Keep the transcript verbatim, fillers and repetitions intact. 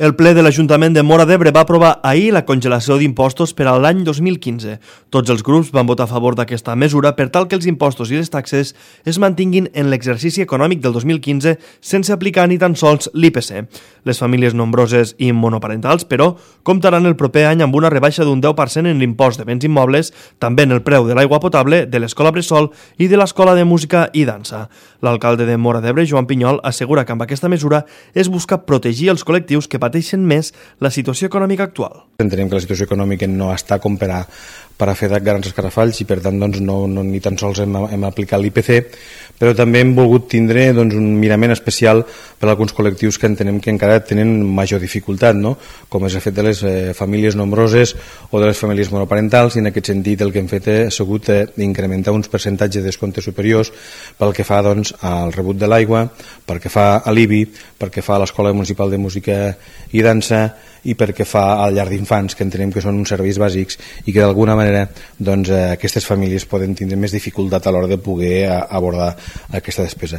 El ple de l'Ajuntament de Móra d'Ebre va aprovar ahir la congelació d'impostos per a l'any dos mil quinze. Tots els grups van votar a favor d'aquesta mesura per tal que els impostos i les taxes es mantinguin en l'exercici econòmic del dos mil quinze sense aplicar ni tan sols l'I P C. Les famílies nombroses i monoparentals, però, comptaran el proper any amb una rebaixa d'un deu per cent en l'impost de béns immobles, també en el preu de l'aigua potable, de l'escola bressol i de l'escola de música i dansa. L'alcalde de Móra d'Ebre, Joan Pinyol, assegura que amb aquesta mesura es busca protegir els col·lectius que pateixen més la situació econòmica actual. Entenem que la situació econòmica no està com per a, per a fer grans escarafalls i per tant doncs, no, no, ni tan sols hem, hem aplicat l'I P C, però també hem volgut tindre doncs, un mirament especial per a alguns col·lectius que entenem que encara tenen major dificultat, no? Com és el fet de les eh, famílies nombroses o de les famílies monoparentals, i en aquest sentit el que hem fet ha sigut eh, incrementar uns percentatges de descomptes superiors pel que fa doncs, al rebut de l'aigua, pel que fa a l'I B I, pel que fa a l'Escola Municipal de Música i Dansa i perquè fa al llar d'infants, que entenem que són uns serveis bàsics i que d'alguna manera doncs, eh, aquestes famílies poden tindre més dificultat a l'hora de poder abordar aquesta despesa.